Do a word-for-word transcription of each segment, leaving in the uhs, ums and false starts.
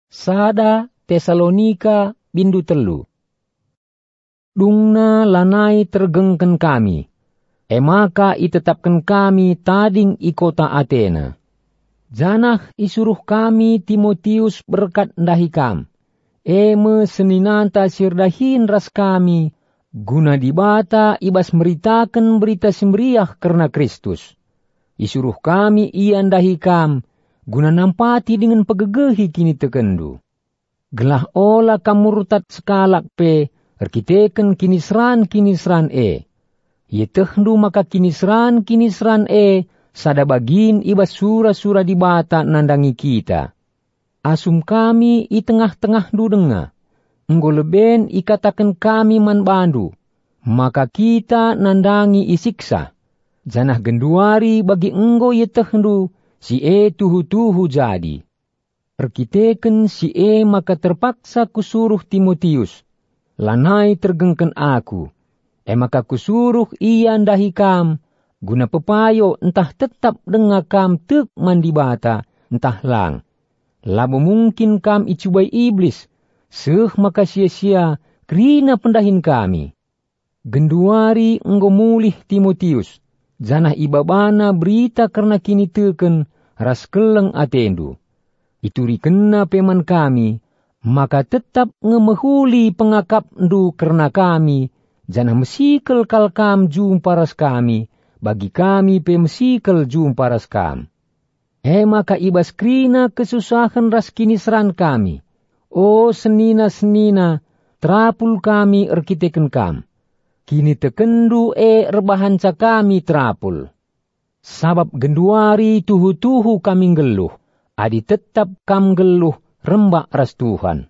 Sada Tesalonika, bindu telu. Dungna lanai tergengken kami, e maka itetapken kami tading i kota Atena. Janah isuruh kami Timotius berkat ndahi kam, e me seninanta si erdahin ras kami, guna Dibata i bas meritaken Berita Si Meriah kerna Kristus. Isuruh kami ia ndahi kam, guna nampati dingen pegegehi kinitekenndu. Gelah ola kam murtad sekalak pe erkiteken kiniseran-kiniseran e. Ietehndu maka kiniseran-kiniseran e sada bagin i bas sura-sura Dibata nandangi kita. Asum kami i tengah-tengahndu denga, enggo leben ikataken kami man bandu, maka kita nandangi isiksa, janah genduari bagi enggo ietehndu si e tuhu-tuhu jadi. Erkiteken si e maka terpaksa kusuruh Timotius, lanai tergengken aku, e maka kusuruh ia ndahi kam, guna pepayo ntah tetap denga kam tek man Dibata, ntah lang. Labo mungkin kam icubai Iblis, seh maka sia-sia kerina pendahin kami. Genduari enggo mulih Timotius, janah ibabana berita kerna kiniteken ras keleng atendu. Iturikenna pe man kami, maka tetap nge mehuli pengakapndu kerna kami, janah mesikel kal kam jumpa ras kami, bagi kami pe mesikel jumpa ras kam. E maka i bas kerina kesusahen ras kiniseran kami, o senina-senina, terapul kami erkiteken kam. Kinitekenndu e erbahanca kami terapul. Sabap genduari tuhu-tuhu kami nggeluh, adi tetap kam nggeluh rembak ras Tuhan.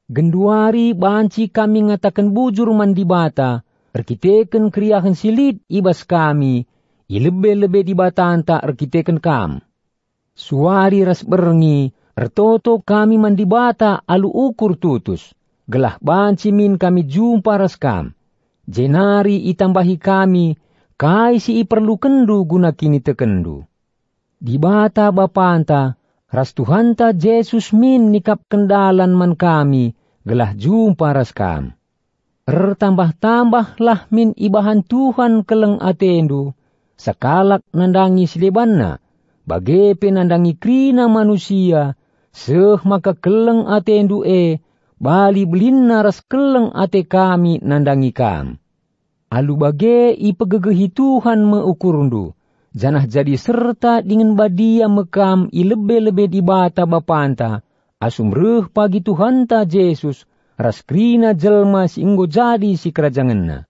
Genduari banci kami ngataken bujur man Dibata erkiteken keriahen si lit i bas kami i lebe-lebe Dibatanta erkiteken kam. Suari ras berngi ertoto kami man Dibata alu ukur tutus, gelah banci min kami jumpa ras kam, jenari itambahi kami kai si iperlukenndu guna kinitekenndu. Dibata Bapanta ras Tuhanta Jesus min nikapken dalan man kami gelah jumpa ras kam. Ertambah-tambahlah min ibahan Tuhan keleng atendu, sekalak nandangi si debanna, bage pe nandangi kerina manusia, seh maka keleng atendu e bali belinna ras keleng ate kami nandangi kam. Alu bage ipegegehi Tuhan me ukurndu, janah jadi serta dingen badia me kam i lebe-lebe Dibata Bapanta, asum reh pagi Tuhanta Jesus ras kerina jelma si enggo jadi sikerajangenNa.